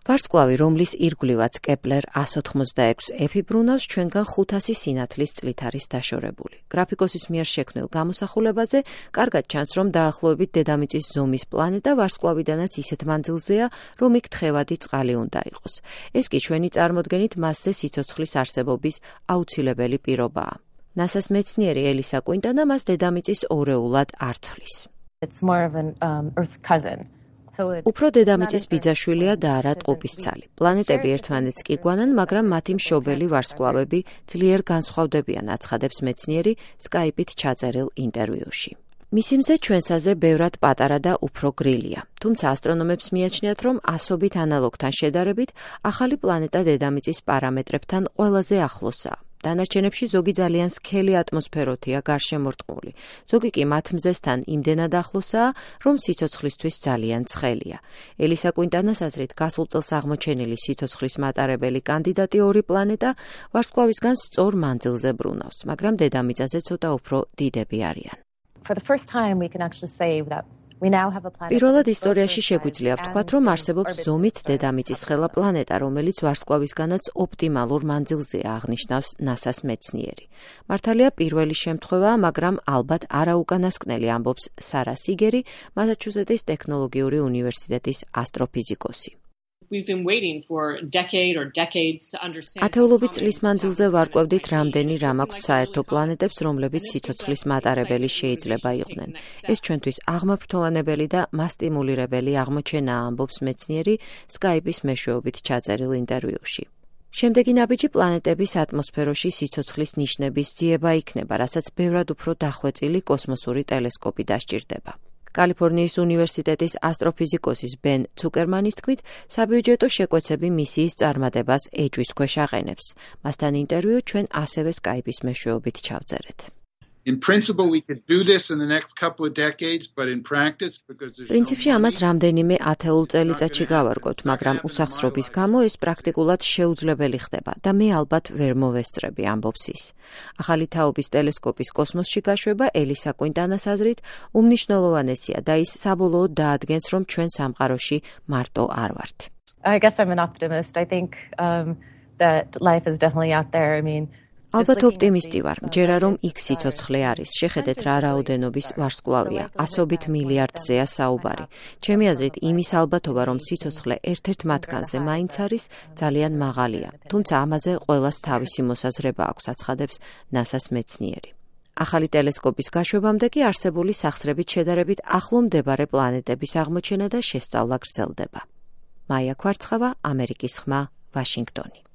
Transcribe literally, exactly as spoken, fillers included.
ვარსკვლავი, რომლის ირგვლივაც კეპლერ ას ოთხმოცდაექვსი ეფი ბრუნავს, ჩვენგან ხუთასი სინათლის წლით არის დაშორებული. გრაფიკოსის მიერ შექმნილ გამოსახულებაზე კარგად ჩანს, რომ დაახლოებით დედამიწის ზომის პლანეტა ვარსკვლავიდანაც ისეთ მანძილზეა, რომ იქ თხევადი წყალი უნდა იყოს. ეს კი ჩვენი წარმოდგენით მასზე სიცოცხლის არსებობის აუცილებელი პირობაა. ნასას მეცნიერი ელისა კუინტანა მას დედამიწის ორეულად არ თვლის. It's more of an um, Earth's cousin. უფრო დედამიწის ბიძაშვილია და არა ტყუპისცალი. პლანეტები ერთმანეთს კი გვანან, მაგრამ მათი მშობელი ვარსკვლავები ძლიერ განსხვავდებიან, აცხადებს მეცნიერი სკაიპით ჩაწერილ ინტერვიუში. მისი მზე ჩვენსაზე ბევრად პატარა და უფრო გრილია. თუმცა ასტრონომებს მიაჩნიათ, რომ ასობით ანალოგთან შედარებით, ახალი პლანეტა დედამიწის პარამეტრებთან ყველაზე ახლოსაა. დანარჩენებში ზოგი ძალიან სქელი ატმოსფეროთია გარშემორტყმული. ზოგი კი მათ მზესთან იმდენად ახლოსაა, რომ სიცოცხლისთვის ძალიან ცხელია. ელისა კუინტანას აზრით, გასულ წელს აღმოჩენილი სიცოცხლის მატარებელი კანდიდატი ორი პლანეტა ვარსკვლავისგან სწორ მანძილზე ბრუნავს, მაგრამ დედამიწაზე ცოტა უფრო დიდები არიან. For the first time we can actually say that პირველად ისტორიაში შეგვიძლია ვთქვათ, რომ არსებობს ზომით დედამიწის ხელა პლანეტა, რომელიც ვარსკვლავისგანაც ოპტიმალურ მანძილზეა, აღნიშნავს ნასას მეცნიერი. მართალია პირველი შემთხვევაა, მაგრამ ალბათ არაუკანასკნელი, ამბობს სარა სიგერი, მასაჩუსეტის ტექნოლოგიური უნივერსიტეტის ასტროფიზიკოსი. ათეულობით წლის მანძილზე ვარკვევდით, რამდენი რამ აქვთ საერთო პლანეტებს, რომლებიც სიცოცხლის მატარებელი შეიძლება იყვნენ. ეს ჩვენთვის აღმაფრთოვანებელი და მასტიმულირებელი აღმოჩენაა, ამბობს მეცნიერი სკაიპის მეშვეობით ჩაწერილ ინტერვიუში. შემდეგი ნაბიჯი პლანეტების ატმოსფეროში სიცოცხლის ნიშნების ძიება იქნება, რასაც ბევრად უფრო დახვეწილი კოსმოსური ტელესკოპი დასჭირდება. კალიფორნიის უნივერსიტეტის ასტროფიზიკოსის ბენ ცუკერმანის თქმით, საბიუჯეტო შეკვეცები მისიის წარმატებას ეჭვის ქვეშ აყენებს. მასთან ინტერვიუ ჩვენ ასევე სკაიპის მეშვეობით ჩავწერეთ. პრინციპში ამას რამდენიმე ათეულ წელიწადში გავარკვევთ, მაგრამ უსახსრობის გამო ეს პრაქტიკულად შეუძლებელი ხდება და მე ალბათ ვერ მოვესწრები, ამბობს ის. ახალი თაობის ტელესკოპის კოსმოსში გაშვება ელისა კუინტანას აზრით უმნიშვნელოვანესია და ის საბოლოოდ დაადგენს, რომ ჩვენ სამყაროში მარტო არ ვართ. I guess I'm an optimist. I think um, that life is definitely out there. I mean ალბათ ოპტიმისტი ვარ, მჯერა რომ იქ სიცოცხლე არის. შეხედეთ რა რაოდენობის ვარსკვლავია, ასობით მილიარდზეა საუბარი. ჩემი აზრით, იმის ალბათობა, რომ სიცოცხლე ერთ-ერთ მათგანზე მაინც არის, ძალიან მაღალია. თუმცა ამაზე ყველას თავისი მოსაზრება აქვს, აცხადებს ნასას მეცნიერი. ახალი ტელესკოპის გაშვებამდე კი არსებული სახსრებით შედარებით ახლო მდებარე პლანეტების აღმოჩენა და შესწავლა გრძელდება. მაია ქვარცხავა, ამერიკის ხმა, ვაშინგტონი.